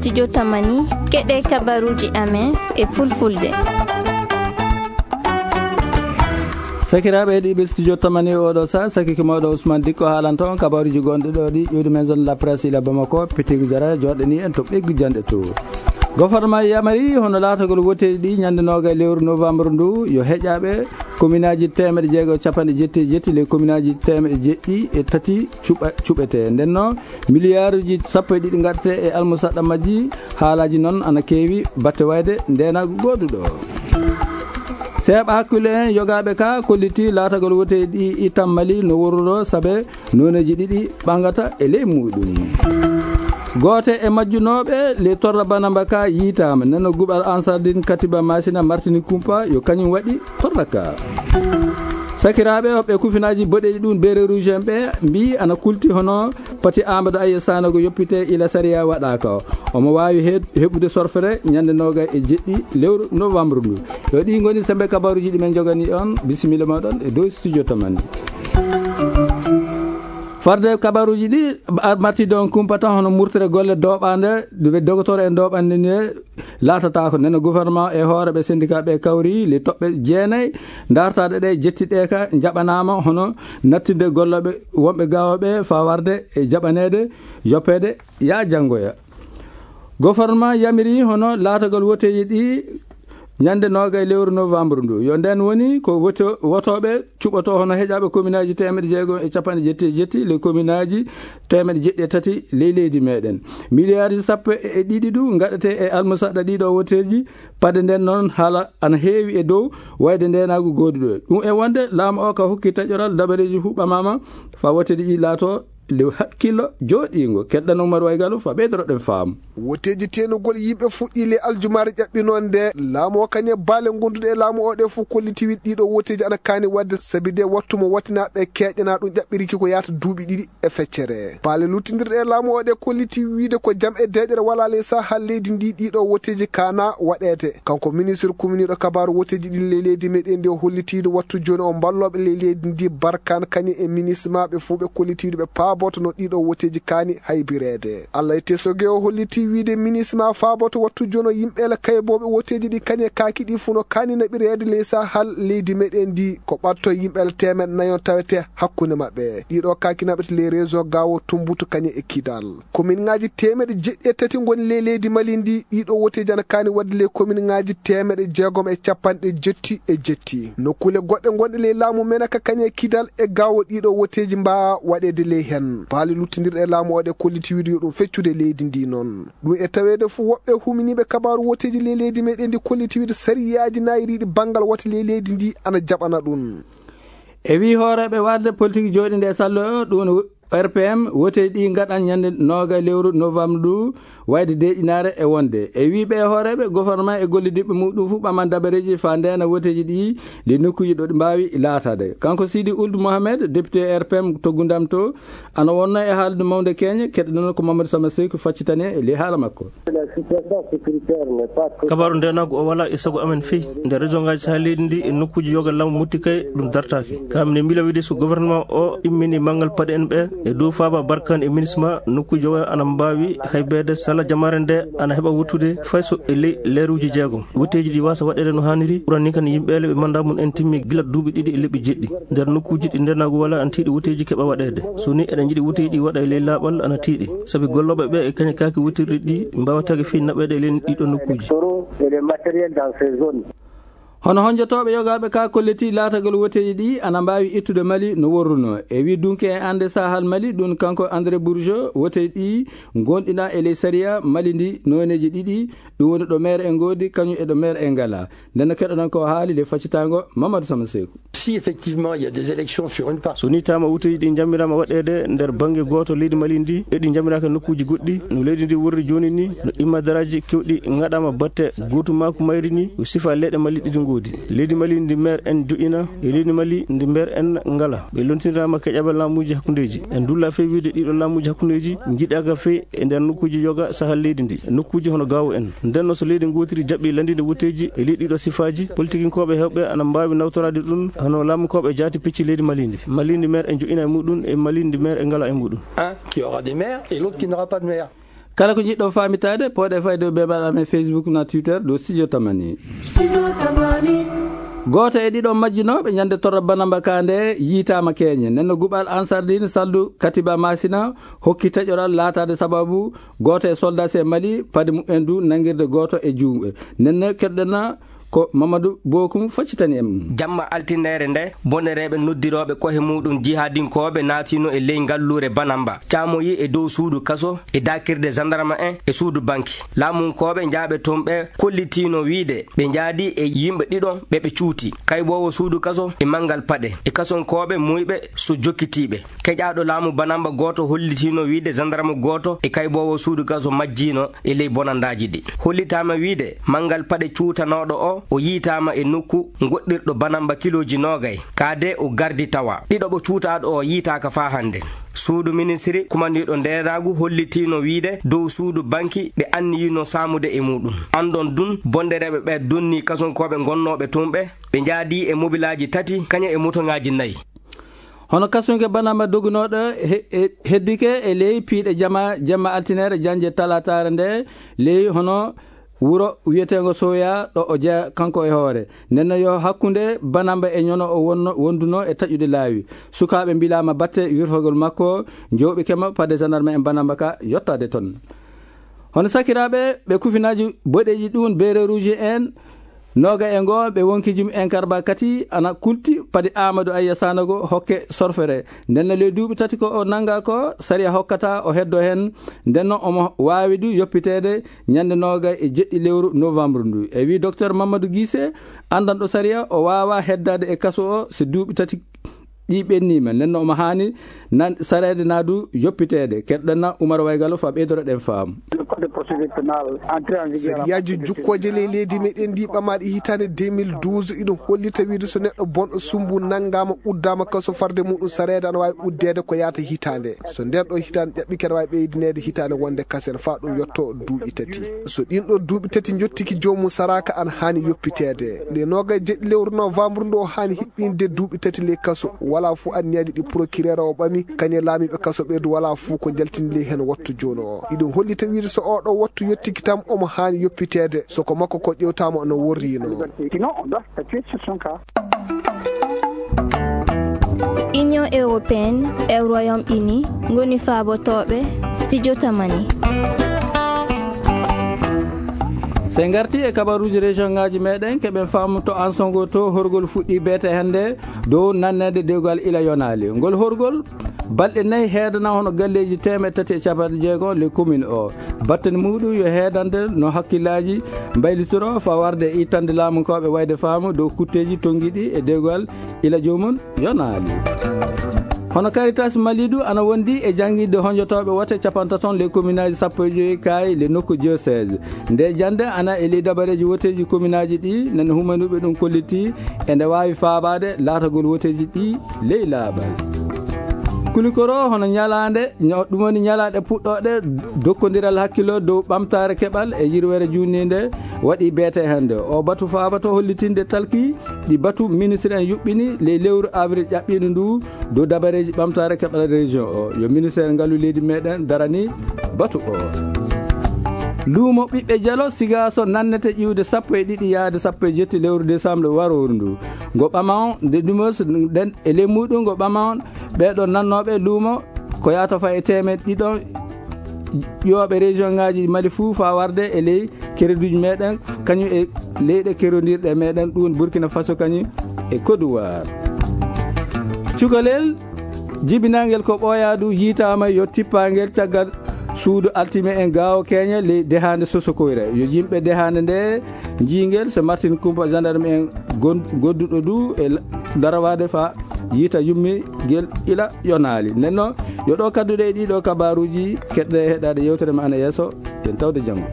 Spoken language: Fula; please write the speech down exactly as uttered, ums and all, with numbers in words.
Studio Tamani, keɗe kabaruji amen e fulfulde. Sakiraaɓe heɗiiɓe Studio Tamani, oɗo sa sakike mawɗo Ousmane Dikko haalanta on kabaruji gonɗi ɗo ɗi ƴuwdi maison de la presse ila Bamako, Petit Gujara, joɗɗini en to ɓeggu janɗe to. Goforma yamari hono laatagol woteji ɗi ñande noga e lewru novembre ndu, yo heƴaɓe kominaji temeɗe jeego e capanɗe jetti e jetti, les kominaji temeɗe jeɗɗi e tati cuɓa-, cuɓete. Nden noon, miliyaaruji sappo e ɗiɗi ngaɗete e almusaɗɗa majji. Haalaji noon ana keewi batte wayde ndenagu goduɗo. Seeɓa hakkille en yogaaɓe ka kolliti laatagol woteji ɗi itam Mali no worruno sabe nooneji ɗiɗi ɓangata e ley muɗum. Goote e majjunooɓe le torra banamba ka yiitaama nano guɓal Ansardine Katiba Masina Martini Kumpa yo kañum waɗi torra ka. Sakiraaɓe hoɓɓe kufinaaji boɗeeji ɗum beere rouge en ɓe mbi ana kulti hono pati Amadou Aye Sanogo yoppite ila sariya waɗaaka. Omo waawi he-, heɓude sorfere ñande noga e jeɗɗi lewru novembre ndu. Yo ɗi ngoni sembe kabaruji ɗi men jogani on. Bisimilla moɗon e dow studio Tamani. Farde kabaruji ɗi, a-, marti don kumpa tan hono murtere golle doɓande, ɗe dogotoro en doɓande ne laatata ko nena gouvernement e hoore ɓe syndicat ɓe kawri le toɓɓe jeenayi dartaɗe ɗe jettiɗe ka jaɓanama hono nattinde golloɓe wonɓe gawoɓe fa warde e jaɓanede yoppede ya janngoya. Gouvernement yamiri hono laatagol woteji ɗi ñande noga e lewru novembre ndu. Yo nden woni ko woto-, wotoɓe cuɓoto hono heƴaɓe kominaji temeɗe jeego e capanɗe jetti e jetti, le kominaji temeɗe jeɗɗi e tati ley leydi meɗen. Miliyarji sappo e ɗiɗi ɗu gaɗete e almusaɗɗa ɗiɗo woteji. Pade nden noon haala ana heewi e dow wayde ndenagu goduɗo. Ɗum e wonde laamu o ka hokki taƴoral dabareji huɓɓamama fa woteji ɗi laato le hakkillo jooɗiingo. Keɗɗan Oumar Waygalu fa ɓeydotoɗen faamu. Woteeji teenugol yimɓe fuɗɗii le aljumaare ƴaɓɓinoo nde. Laamu o kañe baale gonduɗe e laamu o ɗe fof kolliti wiɗ ɗiɗo woteeji ana kaani waɗde sabi de wattu mo wattinaɓe keƴana ɗum ƴaɓɓiriki ko yaata duuɓi ɗiɗi e feccere. Baale luttindirɗe e laamu o ɗe kolliti wiide ko jam e deeƴere wala le sahal leydi ndi ɗiɗo woteeji kaana waɗeede. Kanko ministre kuminiiɗo kabaaru woteeji ɗin ley leydi meɗen ndi o hollitiiɗo wattu jooni o mballooɓe ley leydi ndi barkaan kañe e minismaaɓe fof ɓe kollitiiɗo ɓe paaboto no ɗiɗo woteeji kaani haybireede. Allah e tesoge o hollitii wiide minisma faaboto wattu jono yimɓe la kaybooɓe woteeji ɗi kañe kaaki ɗi fof no kaani naɓireede ley sahal leydi meɗen ndi ko ɓatto yimɓe la teemeɗe nayon tawete hakkunde maɓɓe. Ɗiɗo kaaki naɓete ley région Gaawo, Tumbutu kañe e Kidal. Kominŋaaji teemeɗe jeɗɗi e tati ngoni ley leydi Mali ndi. Ɗiɗo woteeji ana kaani waɗde ley kominŋaaji teemeɗe jeegom e capanɗe jetti e jetti. Nokkuule goɗɗe gonɗe ley laamu Menaka kañe Kidal e Gaawo ɗiɗo woteeji mbaawa waɗeede ley heen. Baale luttindirɗe e laamu o ɗe kolliti wiide yo ɗum feccude leydi ndi noon. Ɗum e taweede fof woɓɓe huminiiɓe kabaaru woteeji ley leydi meɗen ndi kolliti wiide sariyaaji naayiriiɗi banngal wote ley leydi ndi ana jaɓana ɗum. E wii hooreeɓe warde politik jooɗinde e sallo o, ɗum woni R P M, woteeji ɗi ngaɗan ñande nooga lewru novembre ndu, wayde deeƴinaare e wonde. E wii ɓe hooreeɓe gouvernement e gollidiɓɓe muɗum fof ɓaman dabareeji fa ndeena woteeji ɗi, ɗi nokkuuji ɗo ɗi mbaawi laataade. Kanko Sidi Ould Mohamed, député R P M to Gundam to, ana wonno e haalde mawnde keñe, keɗoɗon ko Mamadou Sama Seck faccitane e ley haala makko. Kabaaru ndeenaagu o walaa e sago amen fey. Nder région ngaaji Sahel leydi ndi e nokkuuji yoga laamu Motti Kay ɗum dartaaki. Ka mine miila wiide so gouvernement o immini manngal paɗe en ɓe e dow faaba barkan e minisma nokkuuji yoga ana mbaawi haybeede sala jamaare nde ana heɓa wuttude fay so e ley leeruuji jeegom. Wutteeji ɗi waasa waɗeede no haaniri ɓurani kan yimɓeele ɓe mannda mum en timmi gila duuɓi ɗiɗi e leɓɓi jeɗɗi. Nder nokkuuji ɗi ndeenaagu walaa ana tiiɗi wutteeji keɓa waɗeede. So ni eɗen njiɗi wutteeji ɗi waɗa e ley laaɓal ana tiiɗi. Sabi gollooɓe ɓe e kañe kaaki wuttirɗi ɗi mbaawataa fii naɓeede e ley ɗiɗo nokkuuji. Hono honjotooɓe yogaaɓe ka kolliti laatagol woteeji ɗi ana mbaawi ittude Mali no worruno. E wii dunke e annde sahal Mali ɗum kanko André Bourgeot woteeji ɗi ngonɗina e ley sariya Mali ndi nooneeji ɗiɗi. Ɗum woni ɗo maire en ngoodi kañum e ɗo maire en ngala. Nden no keɗoɗon ko haali le faccitango Mamadou Sama Seku. Si effectivement il y a des élections sur une partie. So ni tama wuteji ɗi jammirama waɗede nder bangge goto leydi Mali ndi e ɗi jammiraaka nokkuji goɗɗi no leydi ndi worri joni ni no immadaraji kewɗi ngaɗama batte gotumaku mayri ni o sifa leyɗe Mali ɗiɗi ngodi. Leydi Mali ndi maire en joƴƴina e leydi Mali ndi maire en ngala. Ɓe lontinirama keƴaɓe laamuji hakkundeji. En dulla fey wiide ɗiɗo laamuji hakkundeji jiɗaka fey e nder nokkuji yoga sahal leydi ndi. Nokkuji hono gawo en. Nden no so leydi gotiri jaɓɓi landinde wuteji e ley ɗiɗo sifaji, politikinkoɓe hewɓe ana mbawi nawtorade ɗum hono laamukoɓe jaati picci leydi Mali ndi. Mali ndi maire en joƴƴina e muɗum e Mali ndi maire en ngala e muɗum. Un qui aura des maires et l'autre qui n'aura pas de maire. Kala ko njiɗɗon faamitaade, pooɗee fayde e beenbaaɗo amen Facebook na Twitter ɗo Studio Tamani. Gooto e ɗiɗo majjunooɓe ñande torra banamba ka nde yiitaama keeñe. Nden no guɓal Ansar Dine Saldu Katiba Masina hokki taƴoral laataade sababu gooto e soldaasi e Mali, pade mumen du nanngirde gooto e juuɗe. Nden no keɗɗen na ko Mamadou Bokum faccitani en. Jamma altinere nde, bonnereeɓe noddirooɓe kohe muɗum jihaadinkooɓe naatino e ley ngalluure Banamba, caamoyi e dow suudu kaso e daakirde gendarme en e suudu banki. Laamunkooɓe njaaɓe toon ɓe kollitiino wiide ɓe njaadi e yimɓe ɗiɗon ɓe ɓe cuuti, kayboowo suudu kaso e manngal paɗe, e kasonkooɓe muyɓe so jokkitiiɓe. Keƴaaɗo laamu Banamba gooto hollitiino wiide gendarme gooto e kayboowo suudu kaso majjiino e ley bonandaaji ɗi. Hollitaama wiide manngal paɗe cuutanooɗo o, o yiitaama e nokku ngoɗɗirɗo Banamba kilooji noogay, kaade o gardi tawa. Ɗiɗo ɓo cuutaaɗo o yiitaaka faa hannde. Suudu ministiri kumandiiɗo ndeeraagu hollitiino wiide dow suudu banki ɓe anniyino saamude e muɗum. Anndon dun, bondereeɓe ɓe donnii kasonkooɓe gonnooɓe tun ɓe, ɓe njaadii e mobilaaji tati, kañe e motoŋaaji nayi. Hono kasunke Banamba dogunooɗo he-, he-, heddike e ley piiɗe jama, jemma altinere jannje talaataare nde ley hono wuro wiyeteengo Soya ɗo o jeya kanko e hoore. Nden no yo hakkunde Banamba e ñono o wonno, wonduno e taƴude laawi. Sukaaɓe mbilaama batte wirtogol makko, jooɓi kema pade gendarme en Banamba ka yottaade ton. Hono sakiraaɓe ɓe kufinaaji boɗeeji ɗum beere rouge en, nooga e ngo ɓe wonkijum en karba kati ana kulti padi Amadou Ayya Sanogo hokke sorfere. Nden no ley duuɓi tati ko o nanga ko sariya hokkata o heddo hen. Nden no omo waawi du yoppiteede ñande nooga e jeɗɗi lewru novembre ndu. E wi docteur Mamadou Guissé, andanɗo sariya, o waawa heddaade e kaso o si duuɓi tati ɗi ɓenniima. Nden no omo haani nan sareede na du yoppiteede. Keɗɗen na Oumar Waygalo fa ɓeydoro ɗen faamu. Le code de procédure pénale entré en vigueur à Sariyaaji partir de jukkooje ley leydi meɗen ndi ɓamaaɗi hitaande deux mille douze iɗum hollita wiide so neɗɗo bonɗo sumbu nanngaama, uddaama kaso, farde muɗum sareede ana waawi uddeede ko yaata hitaande. So nden ɗo hitaande ƴaɓɓike ana waawi ɓeydineede hitaande wonde kasen faa ɗum yotto duuɓi tati. So ɗin ɗo duuɓi tati njottiki joomum saraaka ana haani yoppiteede. Nde nooga e jeɗɗi lewru novembre ndu o haani hiɓɓinde duuɓi tati ley kaso. Walaa fuu anniyaji ɗi procureur o ɓami, kañe laamiiɓe kaso ɓeydu walaa fuu ko njaltini ley hen wattu jooni o. Iɗum hollita wiide so oo ɗo wattu yottiki tan omo haani yoppiteede. So ko makko ko ƴewtaama no worriino. Sinon, on doit statuer sur son cas. Union européenne e Royaume-Uni ngoni faabotooɓe Studio Tamani. So en ngarti e kabaruuji région ngaaji meɗen, keɓen faamu to Ansongo to horgol fuɗɗi beete hannde dow nanneede dewgal ila yonaali. Ngol horgol balɗe nayi heedana hono galleeji teemeɗɗe tati e capanɗe jeego le commune o. Battane muɗum yo heedande no hakkillaaji mbaylitoro fa warde e ittande laamunkooɓe wayde faamu dow kutteeji tonngiɗi e dewgal ila joomum yonaali. Hono Caritas Malidu ana wondi e jannginde honjotooɓe wote capantaton le communaaji sappo e joyi kaayi le nokku diocèse. Nde jannde ana e ley dabareeji woteeji communaaji ɗi, nana humanuɓe ɗum kolliti e nde waawi faabaade laatagol woteeji ɗi ley laaɓal. Kulikoro hono ñalaande, ño-, ɗum woni ñalaaɗe puɗɗooɗe dokkondiral hakkilo dow ɓamtaare keɓal e yirwere juutniinde waɗi beete hannde. O batu faabato hollitinde talki ɗi batu ministre en yuɓɓini ley lewru avril ƴaɓɓiiɗo ndu dow dabareeji ɓamtaare keɓal région o. Yo ministre ngalu leydi meɗen darani batu o. Luumo ɓiɓɓe Jalo Sigaaso nannete ƴiwde sappo e ɗiɗi yaade sappo e jetti lewru décembre warooru ndu. Ngo ɓama on nde ɗumos nden e ley muɗum ngo ɓama on ɓeeɗo nannooɓe luumo ko yaata fa e teemeɗɗe ɗiɗo ƴooɓe région ngaaji Mali fuu faa warde e ley kereduuji meɗen, kañum e leyɗe kerondirɗe meɗen, ɗum woni Burkina Faso kañum e Côte d'Ivoire. Cukalel jibinangel ko ɓooyaadu yiitaama yo tippangel caggal suudu altime en gaawo keeña ley dehaande Sosokoyre. Yo yimɓe dehaande nde njiingel so Martin Kumpa gendarme en gon-, godduɗo du e la-, larawaade fa yiita yummigel ila yonaali. Nden noon, yo ɗo kadduɗe e ɗiɗo kabaaruuji, keɗɗe heɗaade yewtere ma ana yeeso, yen tawde janngo.